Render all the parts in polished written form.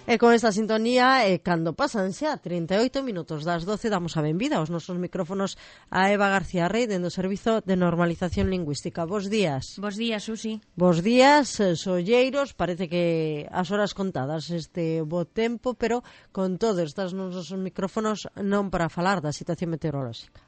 E con esta sintonía, cando pasan xa 38 minutos das 12, damos a benvida aos nosos micrófonos a Eva García Rey, dentro do Servizo de Normalización Lingüística. Bos días. Bos días, Susi. Bos días, solleiros. Parece que as horas contadas este bo tempo, pero con todos estes nosos micrófonos non para falar da situación meteorolóxica.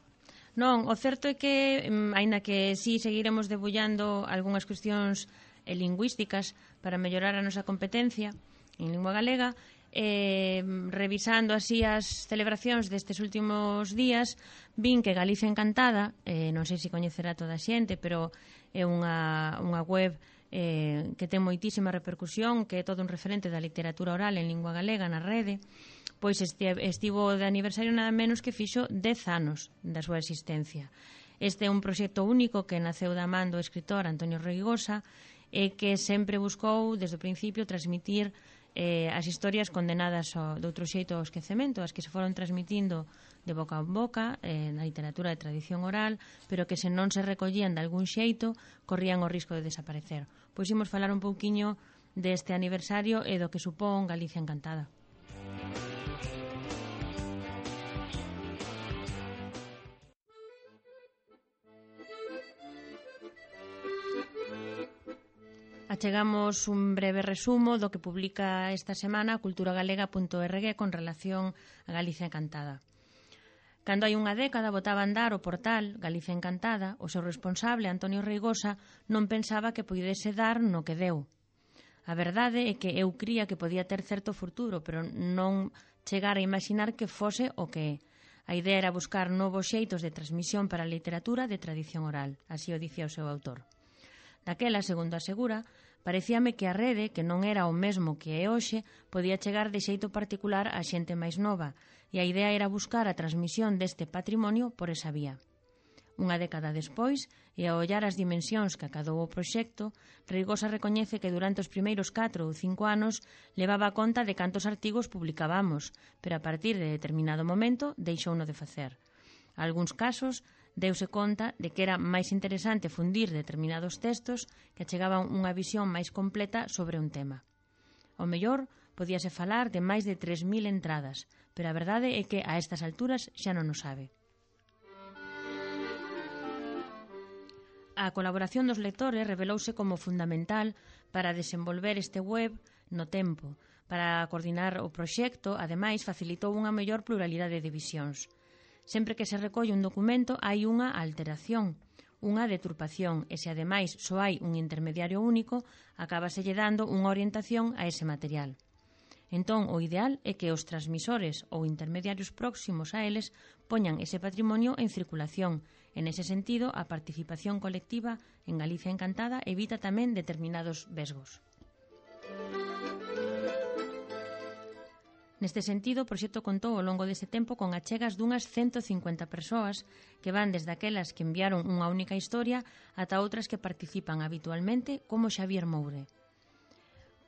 Non, o certo é que, aínda que sí seguiremos debullando algunhas cuestións lingüísticas para mellorar a nosa competencia en lingua galega, revisando así as celebracións destes últimos días, vin que Galicia Encantada, non sei se coñecerá toda a xente, pero é unha web que ten moitísima repercusión, que é todo un referente da literatura oral en lingua galega na rede, pois estivo de aniversario nada menos que fixo 10 anos da súa existencia. Este é un proxecto único que naceu da man do escritor Antonio Reigosa e que sempre buscou, desde o principio, transmitir as historias condenadas de outro xeito ao esquecemento, as que se foron transmitindo de boca en boca na literatura de tradición oral, pero que se non se recollían de algún xeito corrían o risco de desaparecer. Pois imos falar un pouquiño deste aniversario e do que supón Galicia Encantada. Achegamos un breve resumo do que publica esta semana culturagalega.org con relación a Galicia Encantada. Cando hai unha década botaba a andar o portal Galicia Encantada, o seu responsable, Antonio Reigosa, non pensaba que puidese dar no que deu. A verdade é que eu cría que podía ter certo futuro, pero non chegar a imaginar que fose o que é. A idea era buscar novos xeitos de transmisión para a literatura de tradición oral, así o dicía o seu autor. Daquela, segundo asegura, parecíame que a rede, que non era o mesmo que é hoxe, podía chegar de xeito particular á xente máis nova, e a idea era buscar a transmisión deste patrimonio por esa vía. Unha década despois, e a ollar as dimensións que acadou o proxecto, Reigosa recoñece que durante os primeiros 4 ou 5 anos levaba conta de cantos artigos publicábamos, pero a partir de determinado momento deixouno de facer. Algúns casos deuse conta de que era máis interesante fundir determinados textos que achegaban unha visión máis completa sobre un tema. Ao mellor, podíase falar de máis de 3.000 entradas, pero a verdade é que a estas alturas xa non o sabe. A colaboración dos lectores revelouse como fundamental para desenvolver este web no tempo. Para coordinar o proxecto, ademais, facilitou unha mellor pluralidade de visións. Sempre que se recolle un documento hai unha alteración, unha deturpación, e se ademais só hai un intermediario único, acábaselle dando unha orientación a ese material. Entón, o ideal é que os transmisores ou intermediarios próximos a eles poñan ese patrimonio en circulación. En ese sentido, a participación colectiva en Galicia Encantada evita tamén determinados vesgos. Neste sentido, o proxecto contou ao longo deste tempo con achegas dunhas 150 persoas que van desde aquelas que enviaron unha única historia ata outras que participan habitualmente, como Xavier Moure.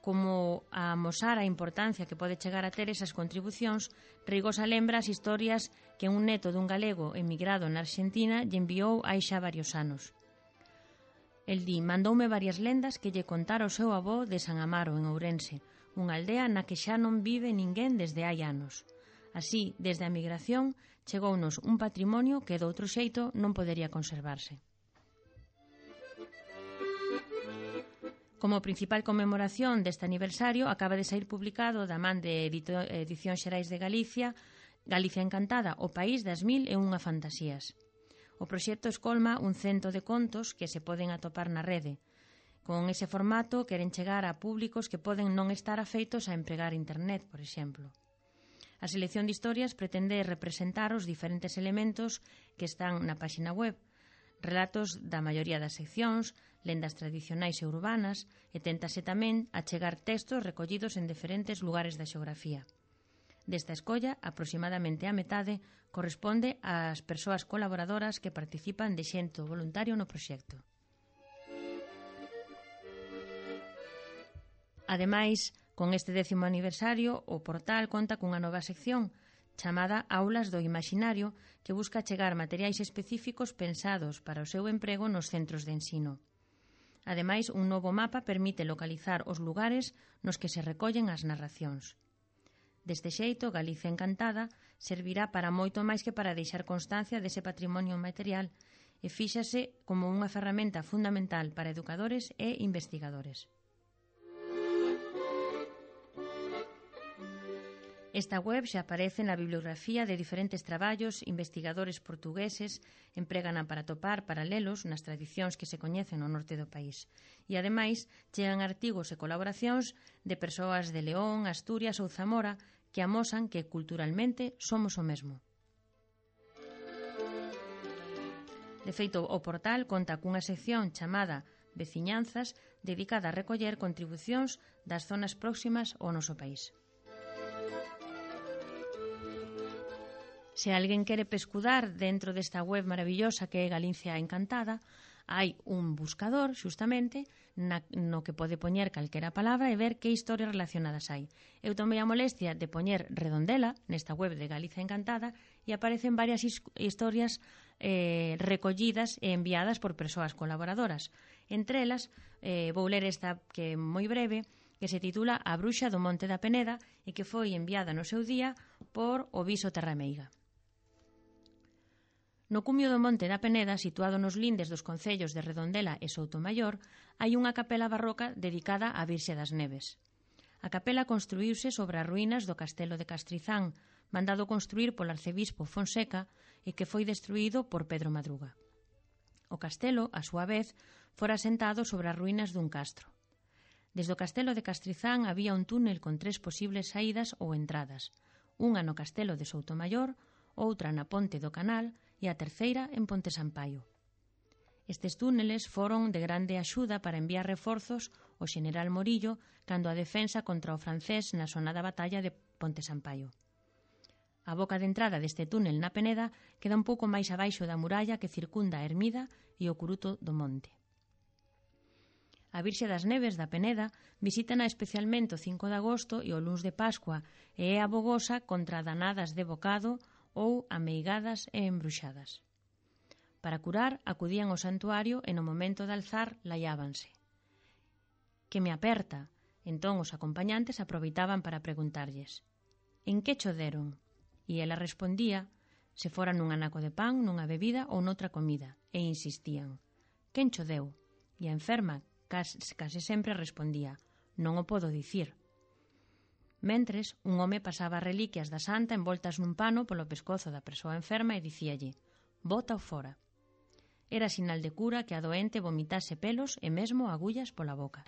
Como a amosar a importancia que pode chegar a ter esas contribucións, Reigosa lembra as historias que un neto dun galego emigrado na Argentina lle enviou hai xa varios anos. El di, mandoume varias lendas que lle contara o seu avó de San Amaro, en Ourense, unha aldea na que xa non vive ninguén desde hai anos. Así, desde a migración, chegounos un patrimonio que doutro xeito non podería conservarse. Como principal conmemoración deste aniversario, acaba de sair publicado da man de Edicións Xerais de Galicia, Galicia Encantada, o país das 1001 fantasías. O proxecto escolma un cento de contos que se poden atopar na rede. Con ese formato queren chegar a públicos que poden non estar afeitos a empregar internet, por exemplo. A selección de historias pretende representar os diferentes elementos que están na páxina web, relatos da maioría das seccións, lendas tradicionais e urbanas, e téntase tamén achegar textos recollidos en diferentes lugares da xeografía. Desta escolla, aproximadamente a metade corresponde ás persoas colaboradoras que participan de xeito voluntario no proxecto. Ademais, con este 10º aniversario, o portal conta cunha nova sección chamada Aulas do Imaxinario, que busca chegar materiais específicos pensados para o seu emprego nos centros de ensino. Ademais, un novo mapa permite localizar os lugares nos que se recollen as narracións. Deste xeito, Galicia Encantada servirá para moito máis que para deixar constancia dese patrimonio material e fíxase como unha ferramenta fundamental para educadores e investigadores. Esta web xa aparece na bibliografía de diferentes traballos investigadores portugueses empregana para topar paralelos nas tradicións que se coñecen no norte do país. E, ademais, chegan artigos e colaboracións de persoas de León, Asturias ou Zamora que amosan que culturalmente somos o mesmo. De feito, o portal conta cunha sección chamada Veciñanzas dedicada a recoller contribucións das zonas próximas ao noso país. Se alguén quere pescudar dentro desta web maravillosa que é Galicia Encantada, hai un buscador, xustamente, no que pode poñer calquera palabra e ver que historias relacionadas hai. Eu tomei a molestia de poñer Redondela nesta web de Galicia Encantada e aparecen varias historias recollidas e enviadas por persoas colaboradoras. Entre elas, vou ler esta que é moi breve, que se titula A bruxa do Monte da Peneda e que foi enviada no seu día por o Viso Terrameiga. No cumio do Monte da Peneda, situado nos lindes dos concellos de Redondela e Soutomaior, hai unha capela barroca dedicada á Virxe das Neves. A capela construíuse sobre as ruínas do castelo de Castrizán, mandado construir polo arcebispo Fonseca e que foi destruído por Pedro Madruga. O castelo, a súa vez, fora asentado sobre as ruínas dun castro. Desde o castelo de Castrizán había un túnel con 3 posibles saídas ou entradas, unha no castelo de Soutomaior, outra na Ponte do Canal e a terceira en Ponte Sampaio. Estes túneles foron de grande axuda para enviar reforzos ao xeneral Morillo cando a defensa contra o francés na sonada batalla de Ponte Sampaio. A boca de entrada deste túnel na Peneda queda un pouco máis abaixo da muralla que circunda a ermida e o curuto do monte. A Virxe das Neves da Peneda visítana especialmente o 5 de agosto e o luns de Pascua e é abogosa contra danadas de bocado ou ameigadas e embruxadas. Para curar, acudían ao santuario e no momento de alzar laiábanse. Que me aperta? Entón os acompañantes aproveitaban para preguntarlles: en que cho deron? E ela respondía se fora nun anaco de pan, nunha bebida ou noutra comida, e insistían: quen cho deu? E a enferma case sempre respondía: non o podo dicir. Mentres, un home pasaba reliquias da santa envoltas nun pano polo pescozo da persoa enferma e dicíalle: bota-o fora. Era sinal de cura que a doente vomitase pelos e mesmo agullas pola boca.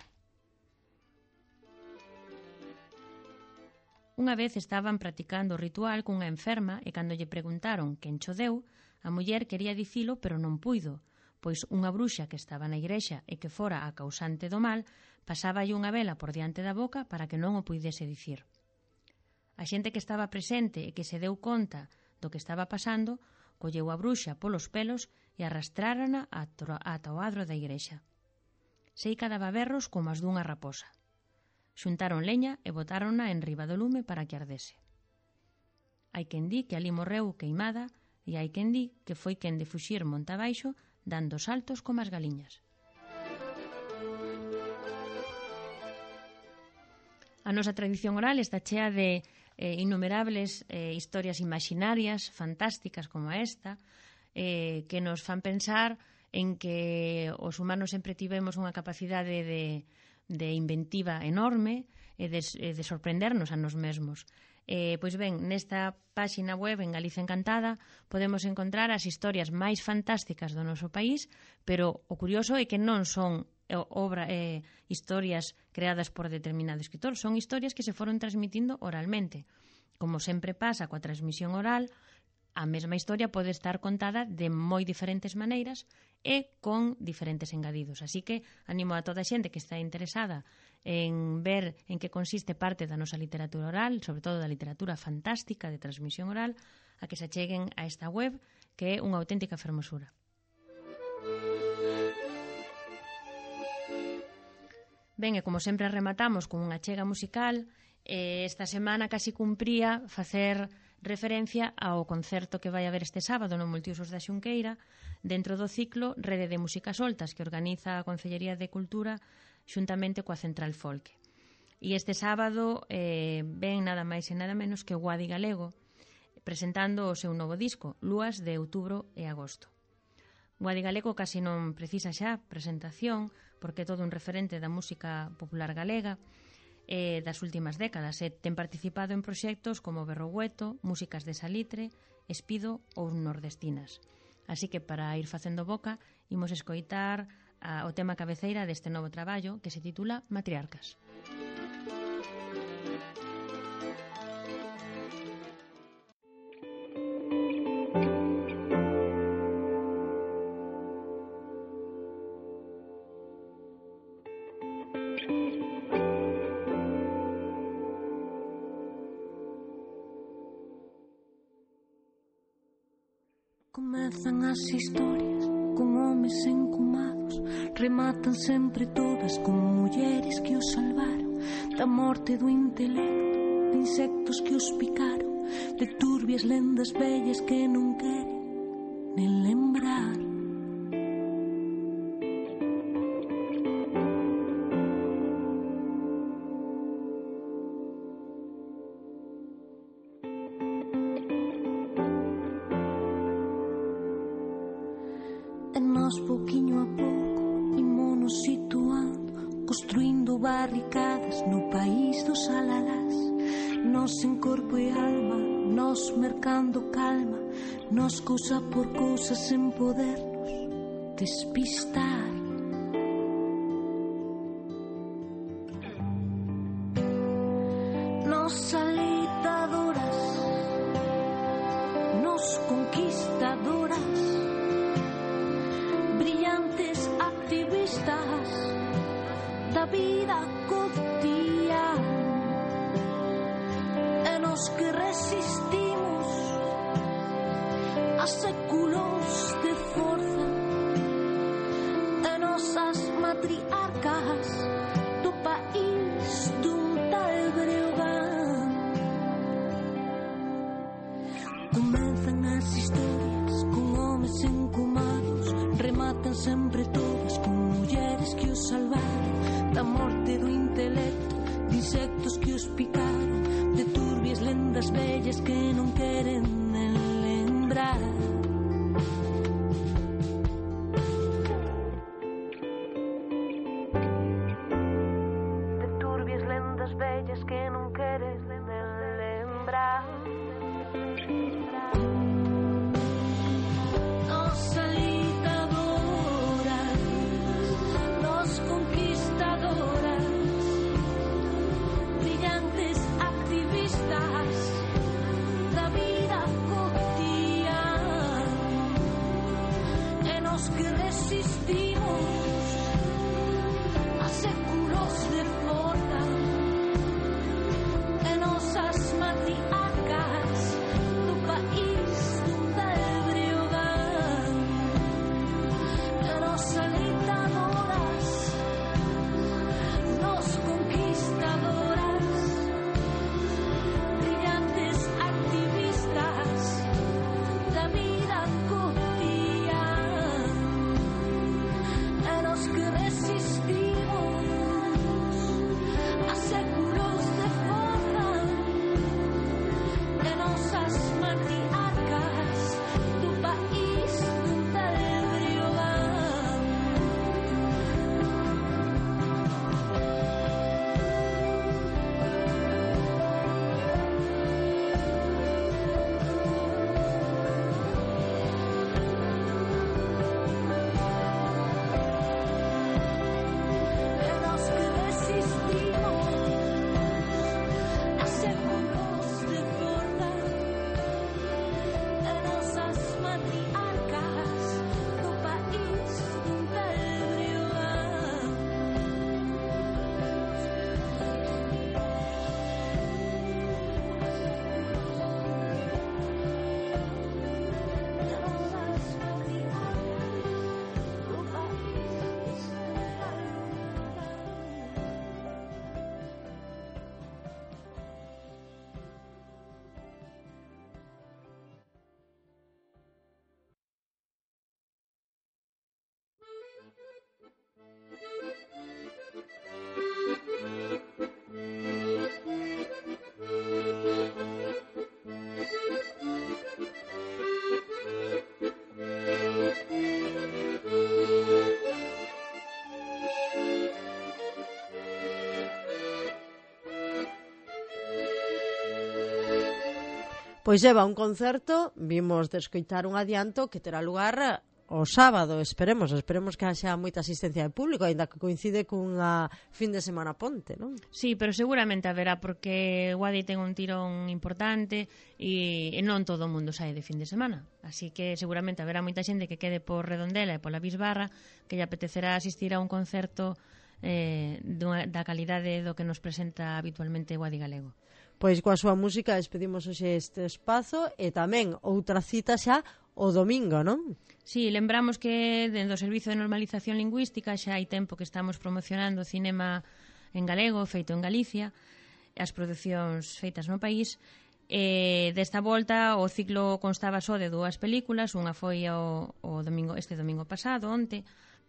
Unha vez estaban practicando o ritual cunha enferma e cando lle preguntaron quen cho deu, a muller quería dicilo pero non puido, pois unha bruxa que estaba na igrexa e que fora a causante do mal pasáballe unha vela por diante da boca para que non o puidese dicir. A xente que estaba presente e que se deu conta do que estaba pasando colleu a bruxa polos pelos e arrastrárana ata o adro da igrexa. Seica daba berros como as dunha raposa. Xuntaron leña e botárona en riba do lume para que ardese. Hai quen di que ali morreu queimada e hai quen di que foi quen de fuxir monte abaixo dando saltos como as galiñas. A nosa tradición oral está chea de innumerables historias imaginarias, fantásticas como esta, que nos fan pensar en que os humanos sempre tivemos unha capacidade de inventiva enorme e de sorprendernos a nos mesmos. Pois ben, nesta páxina web en Galicia Encantada podemos encontrar as historias máis fantásticas do noso país, pero o curioso é que non son historias creadas por determinado escritor, son historias que se foron transmitindo oralmente. Como sempre pasa coa transmisión oral, a mesma historia pode estar contada de moi diferentes maneiras e con diferentes engadidos. Así que animo a toda a xente que está interesada en ver en que consiste parte da nosa literatura oral, sobre todo da literatura fantástica de transmisión oral, a que se acheguen a esta web, que é unha auténtica fermosura. Ben, e como sempre rematamos con unha chega musical, esta semana casi cumpría facer referencia ao concerto que vai haber este sábado no Multiusos da Xunqueira dentro do ciclo Rede de Músicas Soltas que organiza a Concellería de Cultura xuntamente coa Central Folk. E este sábado ven nada máis e nada menos que Guadi Galego presentando o seu novo disco, Lúas de outubro e agosto. Guadi Galego casi non precisa xa presentación porque é todo un referente da música popular galega das últimas décadas e ten participado en proxectos como Berrogueto, Músicas de Salitre, Espido ou Nordestinas. Así que para ir facendo boca imos escoitar o tema cabeceira deste novo traballo que se titula Matriarcas. Comezan as historias con homes encumados, rematan sempre todas con mulleres que os salvaron da morte do intelecto, de insectos que os picaron, de turbias lendas vellas que non queren nen lembrar. Pouquiño a pouco imonos situando, construindo barricadas no país dos alalás. Nos en corpo e alma, nos mercando calma, nos cousa por cousa sen podernos despistar. Nos alitadoras, nos conquistadoras, brillantes activistas da vida cotidiana, e nos que resistimos a séculos de forza, e nosas matriarcas do país dun tal Breogán. Comenzan as historias con homes encumados, rematan sempre todas con mulleres que os salvaron da morte do intelecto, de insectos que os picaron, de turbias lendas vellas que non queren nen lembrar. De turbias lendas vellas que non queren nen lembrar. Da vida cotidiana, e nos que resistimos a séculos de forza, e nosas matriarcas do país dun tal Breogán, e nos alentadoras, nos conquistadoras, da vida cotidiana, e nos que resistimos a séculos de forza, Pois leva un concerto, vimos de escoitar un adianto que terá lugar o sábado, esperemos que haxa moita asistencia de público, aínda que coincide cunha fin de semana ponte, non? Sí, pero seguramente haberá, porque Guadi ten un tirón importante e non todo o mundo sae de fin de semana. Así que seguramente haberá moita xente que quede por Redondela e pola Bisbarra que lle apetecerá asistir a un concerto da calidade do que nos presenta habitualmente Guadi Galego. Pois coa súa música despedimos hoxe este espazo e tamén outra cita xa o domingo, non? Sí, lembramos que dentro do Servizo de Normalización Lingüística xa hai tempo que estamos promocionando cinema en galego feito en Galicia, as producións feitas no país. Desta volta o ciclo constaba só de 2 películas, unha foi este domingo pasado, onte,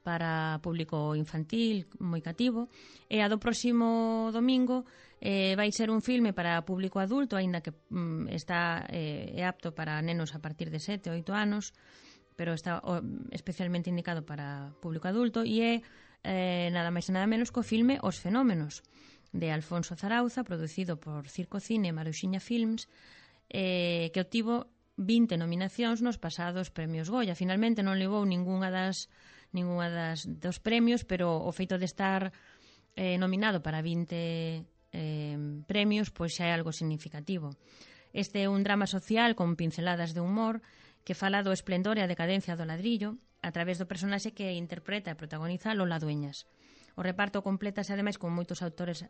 para público infantil moi cativo, e a do próximo domingo vai ser un filme para público adulto, aínda que é apto para nenos a partir de 7 ou 8 anos, pero está especialmente indicado para público adulto, e é nada máis e nada menos co filme Os Fenómenos, de Alfonso Zarauza, producido por Circo Cine e Maruxiña Films, que obtivo 20 nominacións nos pasados premios Goya. Finalmente non levou ningunha dos premios, pero o feito de estar nominado para 20 premios pois xa é algo significativo. Este é un drama social con pinceladas de humor que fala do esplendor e a decadencia do ladrillo a través do personaxe que interpreta e protagoniza Lola Dueñas. O reparto complétase ademais con moitos actores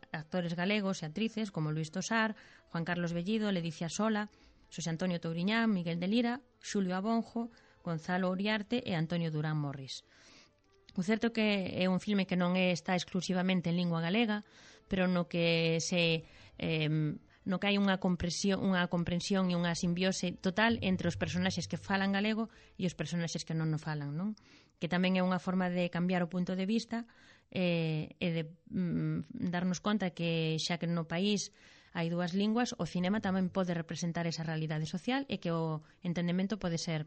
galegos e actrices como Luis Tosar, Juan Carlos Bellido, Ledicia Sola, Xosé Antonio Touriñán, Miguel de Lira, Xulio Abonjo, Gonzalo Uriarte e Antonio Durán Morris. O certo que é un filme que non está exclusivamente en lingua galega, pero no que hai unha comprensión e unha simbiose total entre os personaxes que falan galego e os personaxes que non o falan, non? Que tamén é unha forma de cambiar o punto de vista e de darnos conta que xa que no país hai 2 linguas, o cinema tamén pode representar esa realidade social e que o entendemento pode ser